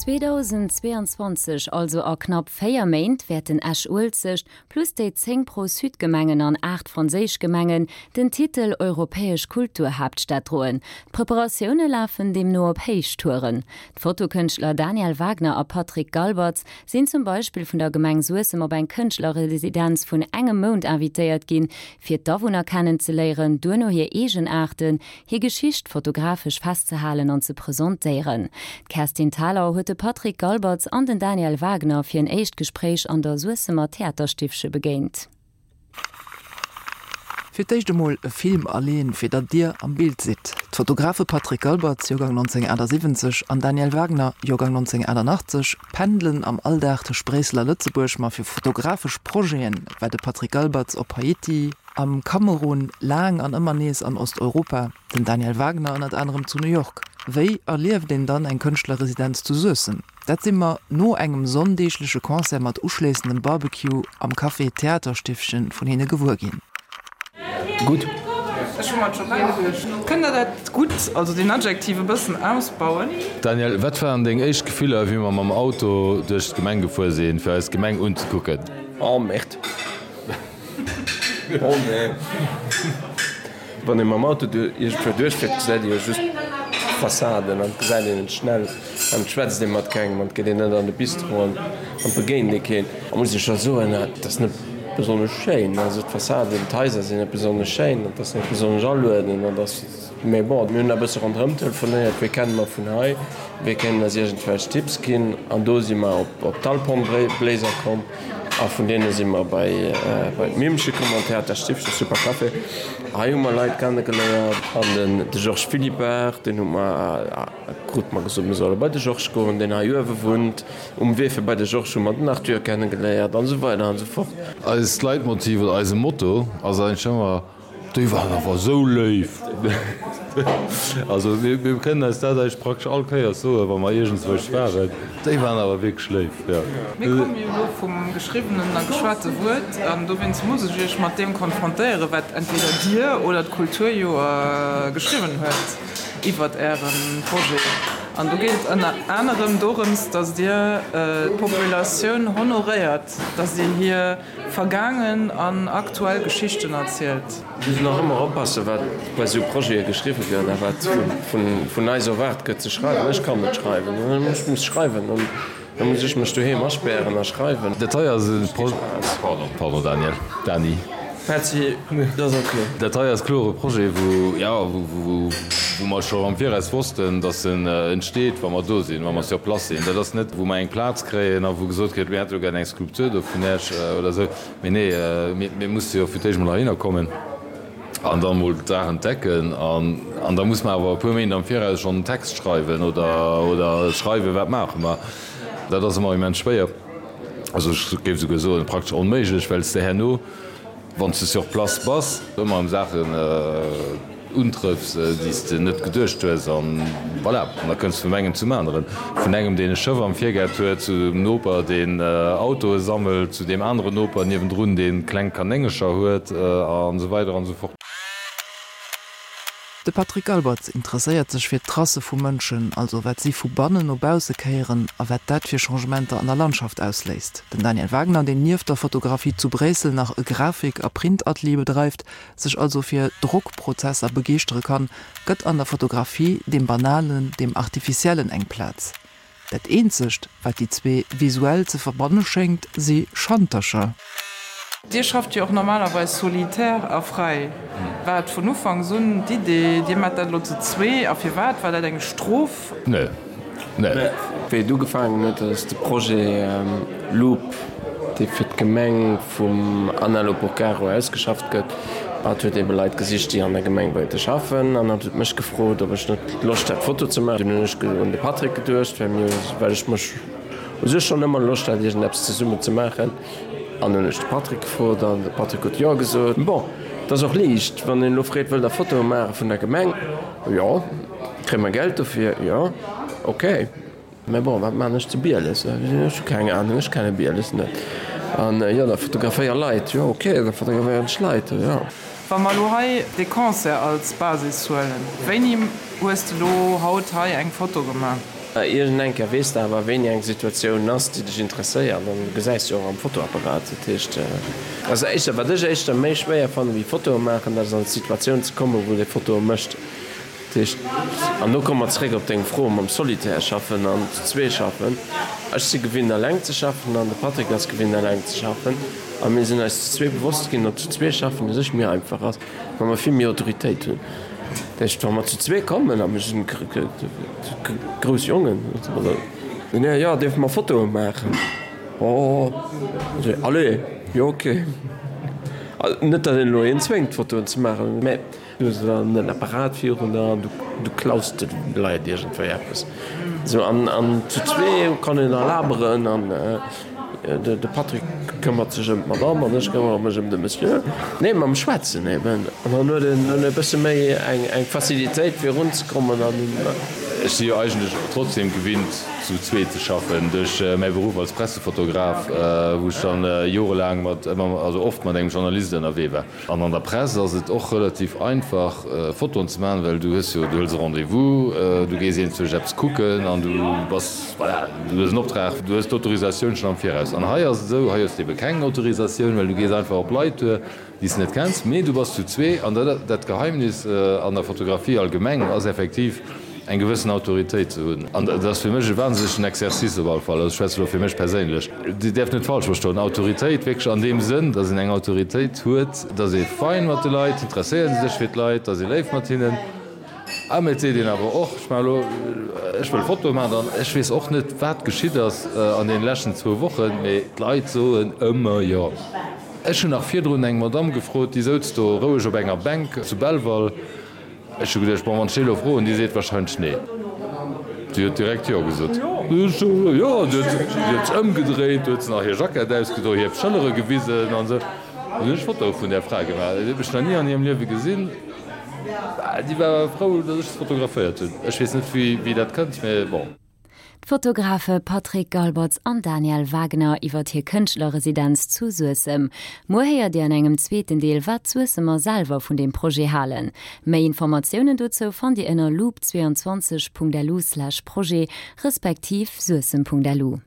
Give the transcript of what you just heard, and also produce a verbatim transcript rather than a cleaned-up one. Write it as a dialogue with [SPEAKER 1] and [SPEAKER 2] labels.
[SPEAKER 1] zweedausendzweeanzwanzeg, also a knapp véier Méint, wäerten Esch-Uelzecht, plus déi zéng Pro-Sud-Gemengen an aacht franséisch Gemengen, den Titel Europäesch Kulturhaaptstad droen. D'Preparatioune lafen deemno op Héichtouren. D'Fotokënschtler Daniel Wagner a Patrick Galbertz sinn zum Beispill vun der Gemeng Suessem op eng Kënschtlerresidenz vun engem Mount invitéiert ginn, fir d'Awunner kennenzeléieren, duerno hir Eegenaarten, hir Geschicht fotografesch festzehalen an ze presentéieren. D'Kerstin Thalau huet de Patrick Galbertz an den Daniel Wagner fir en éischt Gespréich an der Suessemer Theaterstiffche begéint.
[SPEAKER 2] Fir d'éischt emol e Film aleeën, fir datt Dir am Bild sidd. D'Fotografe Patrick Galbertz, Joergang nonzénghunnertachtasiwwenzeg, an Daniel Wagner, Joergang nonzénghunnertachtannachtzeg, pendelen am Alldag tëscht Bréissel a Lëtzebuerg, ma fir fotografesch Projete war de Patrick Galbertz op Haiti, am Kamerun, laang an ëmmer nees an Osteuropa, den Daniel Wagner ënnert anerem zu New York. Wéi erlieft een dann eng Kënschtlerresidenz zu Suessem? Dat si mer no engem sonndeegleche Concert mat uschléissendem Barbecue am Café Theaterstiffchen vun hinne gewuer ginn.
[SPEAKER 3] Gutt.
[SPEAKER 4] Ech hu mer et scho geduecht. Kënnt der dat gutt, also deen Adjektiv e bëssen ausbauen?
[SPEAKER 3] Daniel, wat waren deng éischt Gefiller, wéi mer mam Auto duerch d'Gemeng gefuer sinn, fir eis d'Gemeng unzekucken?
[SPEAKER 5] Oh Merde. Oh nee. Wann ee mam Auto iergendwou duerchfiert, gesäit ee jo just d'Fassaden an et gesäit een et schnell an et schwätzt ee mat kengem an et geet een net an de Bistro an et begéint ee keen. A muss ech scho soen, et ass net besonnesch schéin. Also d'Fassaden, d'Haiser sinn net besonnesch schéin, et ass net besonnesch aluedend an et ass, mee bon, mir hunn e bësse ronderëm telefonéiert, wie kenne mer vun hei, wie kéint eis iergendwelch Tipps ginn an do si mer op d'Alphornbléiser komm. A vun deene si mer bei d'Mimmche komm an Theaterstiffchen, super Café. Hei hu mer Leit kennegeléiert an den de Georges Philippart, deen hu mer, krute mer gesot, mir solle bei de Georges goen, deen hei uewe wunnt. Um Wee fir bei de Georges hu mer den Arthur kennegeléiert an esou weider an esou fort.
[SPEAKER 3] Eist Leitmotiv oder eise Motto ass eigentlech ëmmer, Déi waren awer esou léif! Also mir kënnen eis dat eigentlech praktesch all Kéiers soen, wa mer iergendzwousch waren, Déi waren awer wierklech léif, jo.
[SPEAKER 4] Mir komme jo elo vum geschriwwenen a geschwate Wuert, an dowéinst muss ech Iech mat deem konfrontéieren, wat entweder Dir oder d'Kulturjoer geschriwwen huet iwwert Äre Projet. An do geet et ënner anerem dorëms, datt Dir d'Populatioun honoréiert, datt Dir hir vergaangen an aktuell Geschichten erzielt.
[SPEAKER 5] Mir mussen och ëmmer oppassen, wat bei esou Projete geschriwwe gëtt a wat vun eis erwaart gëtt ze schreiwen. Ech kann net schreiwen, ech muss schreiwen an da muss ech mech doheem aspären a schreiwen.
[SPEAKER 3] Dat hei ass e Projet, pardon, pardon Daniel, Dany.
[SPEAKER 5] Petzi, dat ass ok.
[SPEAKER 3] Dat hei ass kloer e Projet, wou, jo, wou mer scho am Viraus wossten, dass en entsteet, wa mer do sinn, wa mer sur place sinn. Dat ass net, wou mer eng Plaz kréien a wou gesot gëtt, mir hätte lo gär eng Skulptur do vun Iech oder esou. Mee nee, mir musse jo fir d'éischt emol heihinner kommen an da mol d'Saach entdecken. An da muss mer awer e puer Méint am Viraus schonn en Text schreiwen oder, oder schreiwen, wat maache mer. Dat ass ëmmer immens schwéier, also ech géif esouguer soen, praktesch onméiglech, well s de herno, wann s de sur place bass, ëmmer erëm Saachen untrëffs, déi s de net geduecht hues. An voilà, an da kënns de vum engem zum aneren. Vun engem, deen e Schëff am Virgaart huet, zu dem Noper, deen Autoe sammelt, zu deem aneren Noper niewendrun, dee kleng Kanéngercher huet, an esou weider an esou fort.
[SPEAKER 2] De Patrick Albertz interesséiert sech fir d'Tracë vu Mënschen, also wat si vu bannen no bausse kéieren a wat dat fir Changementer an der Landschaft ausléist. Den Daniel Wagner, deen nieft der Fotografie zu Bréissel nach e Grafik a Printatelier bedreift, sech also fir Drockprozesser begeeschtere kann, gëtt an der Fotografie dem Banalen, dem Artificiellen eng Plaz. Dat eenzegt, wat déi zwee visuell ze verbanne schéngt, si Schantercher.
[SPEAKER 4] Dir schafft jo och normalerweis solitär a fräi. War et vun Ufanks un d'Idee, Dir maacht dat elo zu zwee? A firwat? War dat eng Strof?
[SPEAKER 3] Nee, nee.
[SPEAKER 5] Wéi et ugefaangen huet, ass de Projet Loop, dee fir d'Gemeng vum Anna Loporcaro ausgeschafft gëtt. Hatt huet ebe Leit gesicht, déi an der Gemeng wéilte schaffen an hatt huet mech gefrot, ob ech net Loscht hätt, Foto ze maachen. Dunn hunn ech un de Patrick geduecht, well mir, well ech mech u sech schonn ëmmer Loscht hat, iergendeppes zesummen ze maachen. An hunn ech de Patrick gefrot an de Patrick huet Jo gesot. Bon, et ass och liicht, wann een elo freet, wëllt Der Fotoe maache vun der Gemeng? Jo. Kréie mer Geld dofir? Jo. Ok. Mä bon, wat maan ech zu Bieles? Ech hu keng Ahnung, ech kenne Bieles net. An jo, da fotograféier Leit. Jo, ok, da fotograféieren ech Leit, jo.
[SPEAKER 4] Wa mer elo hei dee Concert als Basis huelen, wéini hues de elo haut hei eng Foto gemaach?
[SPEAKER 5] Iergend eng Kéier weess de awer, wéini eng Situatioun ass, déi dech interesséiert, an du gesäis jo och am Fotoapparat. Dat heescht, also éischter, wat ech éischter méi schwéier fannen, wéi Fotoe maachen, dat ass an d'Situatioun ze kommen, wou de Fotoe mécht. Dat heescht, an do komme mer zeréck op deng Fro mam Solitaire schaffen an zu zwee schaffen. Ech si gewinnt eleng ze schaffen an de Patrick ass gewinnt eleng ze schaffen. A mir sinn eis zu zwee bewosst ginn, datt zu zwee schaffen u sech méi einfach ass, well mer vill méi Autoritéit hunn. Dat heescht, wa mer zu zwee kommen, a mir sinn grouss Jongen, jo, dierfe mer Fotoe maachen? Oh, allez, jo ok. Net datt een elo een zwéngt Fotoen ze maachen, mä du hues dann en Apparat virun der an du klaus de Leit iergendwéi eppes. Sou an an zu zwee kann een da laberen an de Patrick këmmert sech ëm d'Madame an ech këmmere mech ëm de Monsieur. Nee, mam Schwätzen eben. An dann huet een e bësse méi eng eng Facilitéit fir erunzekommen an.
[SPEAKER 3] Ech si jo eigentlech trotzdem gewinnt zu zwee ze schaffen duerch mäi Beruff als Pressefotograf, wou ech dann jorelaang mat ëmmer, also oft mat engem Journalist ënnerwee war. An an der Press ass et och relativ einfach Fotoen ze maachen, well du hues jo, du hëls e Rendez-vous, du gees iergendwousch eppes kucken an du bass, voilà, du hues en Optrag, du hues d'Autorisatioun schonn am Viraus. An hei ass et esou, hei hues de ebe keng Autorisatioun, well du gees einfach op Leit duer, déi s de net kenns, mee du bass zu zwee. An dat, dat Geheimnis an der Fotografie allgemeng ass effektiv, eng gewëssen Autoritéit ze hunn. An dat ass fir mech e wahnsinnegen Exercice op alle Fall. Also ech schwätze elo fir mech perséinlech. Dir däerft net falsch verstoen, Autoritéit wierklech an deem Sënn, dass een eng Autoritéit huet, dass ee fein mat de Leit, interesséiert ee sech fir d'Leit, dass ee léif mat hinnen. A mee et seet een awer och, ech maache elo, ech wëll Fotoe maachen an ech weess och net, wat geschitt ass an deene leschten zwou Wochen, mee d'Leit soen ëmmer jo. Ech hunn nach virdrun eng Madamm gefrot, déi souz do roueg op enger Bänk zu Belval. Ech hu geduecht, bon, wann ech déi elo froen, déi seet wahrscheinlech nee. Si huet direkt jo gesot. Jo, si huet sech ëmgedréit, huet se nach hir Jackett ausgedoen, hir Schëllere gewisen an esou. Dann hunn ech Fotoe vun där Fra gemaach. Déi huet mech nach ni an hirem Liewe gesinn. Déi war awer frou, datt ech se fotograféiert hunn. Ech weess net, wéi dat kënnt, mee bon.
[SPEAKER 1] D'Fotografe Patrick Galbertz an Daniel Wagner iwwer hir Kënschtlerresidenz zu Suessem. Muer héiert Dir an engem zweeten Deel, wat d'Suessemer selwer vun deem Projet halen. Méi Informatiounen dozou fannt Dir ënner loop zweiundzwanzeg punkt lu slash projet respektiv suessem punkt lu.